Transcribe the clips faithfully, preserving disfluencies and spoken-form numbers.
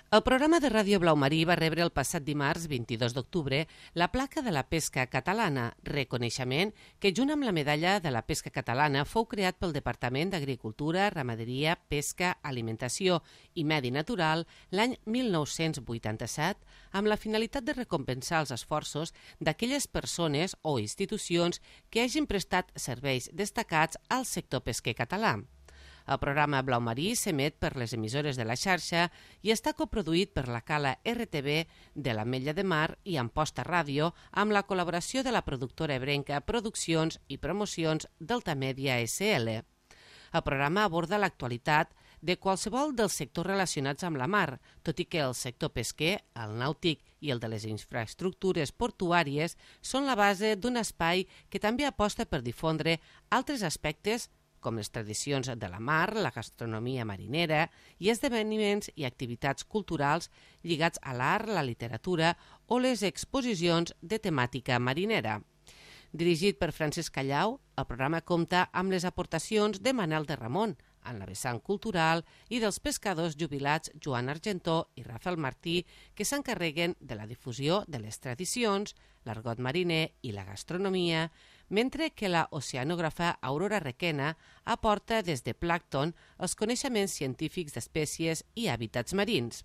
El programa de Ràdio Blau Marí va rebre el passat dimarts vint-i-dos d'octubre la placa de la pesca catalana, reconeixement que junt amb la medalla de la pesca catalana fou creat pel Departament d'Agricultura, Ramaderia, Pesca, Alimentació i Medi Natural l'any mil nou-cents vuitanta-set amb la finalitat de recompensar els esforços d'aquelles persones o institucions que hagin prestat serveis destacats al sector pesquer català. El programa Blau Marí s'emet per les emissores de la xarxa i està coproduït per la Cala R T V de l'Ametlla de Mar i Amposta Ràdio amb la col·laboració de la productora ebrenca Produccions i Promocions d'Altamèdia S L. El programa aborda l'actualitat de qualsevol dels sectors relacionats amb la mar, tot i que el sector pesquer, el nàutic i el de les infraestructures portuàries són la base d'un espai que també aposta per difondre altres aspectes com les tradicions de la mar, la gastronomia marinera i esdeveniments i activitats culturals lligats a l'art, la literatura o les exposicions de temàtica marinera. Dirigit per Francesc Callau, el programa compta amb les aportacions de Manel de Ramon, en la vessant cultural, i dels pescadors jubilats Joan Argentó i Rafael Martí, que s'encarreguen de la difusió de les tradicions, l'argot mariner i la gastronomia, mentre que la oceanògrafa Aurora Requena aporta des de plàncton els coneixements científics d'espècies i hàbitats marins.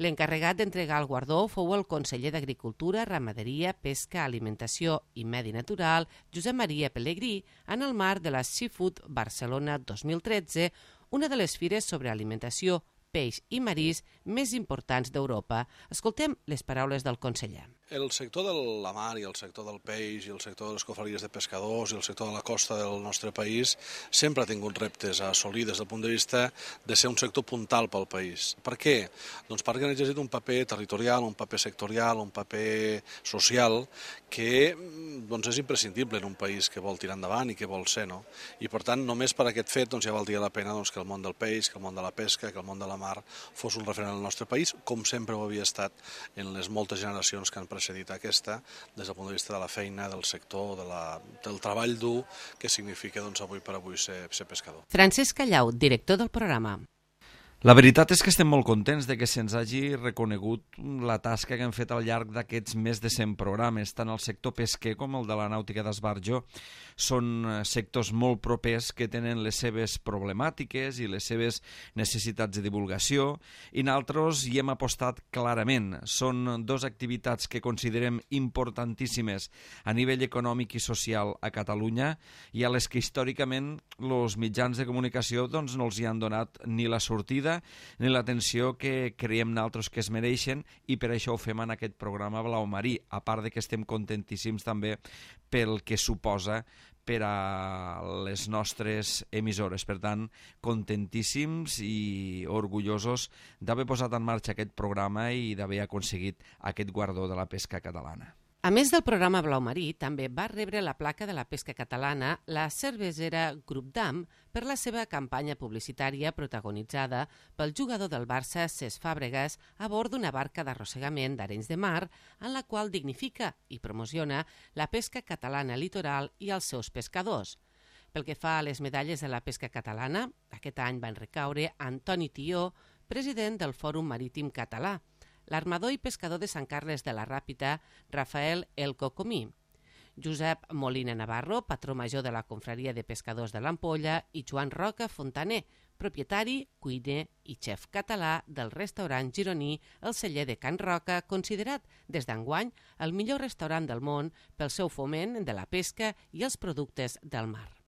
L'encarregat d'entregar el guardó fou el conseller d'Agricultura, Ramaderia, Pesca, Alimentació i Medi Natural, Josep Maria Pellegrí, en el marc de la Seafood Barcelona dos mil tretze, una de les fires sobre alimentació, peix i marís més importants d'Europa. Escoltem les paraules del conseller. El sector de la mar i el sector del peix i el sector de les confraries de pescadors i el sector de la costa del nostre país sempre ha tingut reptes a assolir des del punt de vista de ser un sector puntal pel país. Per què? Doncs perquè han exercit un paper territorial, un paper sectorial, un paper social que doncs, és imprescindible en un país que vol tirar endavant i que vol ser. No? I per tant, només per aquest fet doncs, ja valdria la pena doncs, que el món del peix, que el món de la pesca, que el món de la mar fos un referent al nostre país, com sempre ho havia estat en les moltes generacions que han precedit aquesta, des del punt de vista de la feina, del sector, de la, del treball dur que significa doncs, avui per avui ser, ser pescador. Francesc Callau, director del programa. La veritat és que estem molt contents de que se'ns hagi reconegut la tasca que hem fet al llarg d'aquests més de cent programes. Tant el sector pesquer com el de la nàutica d'esbarjo són sectors molt propers que tenen les seves problemàtiques i les seves necessitats de divulgació i nosaltres hi hem apostat clarament. Són dues activitats que considerem importantíssimes a nivell econòmic i social a Catalunya i a les que històricament els mitjans de comunicació doncs, no els hi han donat ni la sortida ni l'atenció que creiem nosaltres que es mereixen i per això ho fem en aquest programa Blau Marí, a part de que estem contentíssims també pel que suposa per a les nostres emissores. Per tant, contentíssims i orgullosos d'haver posat en marxa aquest programa i d'haver aconseguit aquest guardó de la pesca catalana. A més del programa Blau Marí, també va rebre la placa de la pesca catalana la cervesera Grup Damm per la seva campanya publicitària protagonitzada pel jugador del Barça, Cesc Fàbregas, a bord d'una barca d'arrossegament d'Arenys de Mar, en la qual dignifica i promociona la pesca catalana litoral i els seus pescadors. Pel que fa a les medalles de la pesca catalana, aquest any van recaure Antoni Tió, president del Fòrum Marítim Català, l'armador i pescador de Sant Carles de la Ràpita, Rafael El Cocomí, Josep Molina Navarro, patró major de la Confraria de Pescadors de l'Ampolla, i Joan Roca Fontaner, propietari, cuiner i xef català del restaurant gironí El Celler de Can Roca, considerat des d'enguany el millor restaurant del món pel seu foment de la pesca i els productes del mar.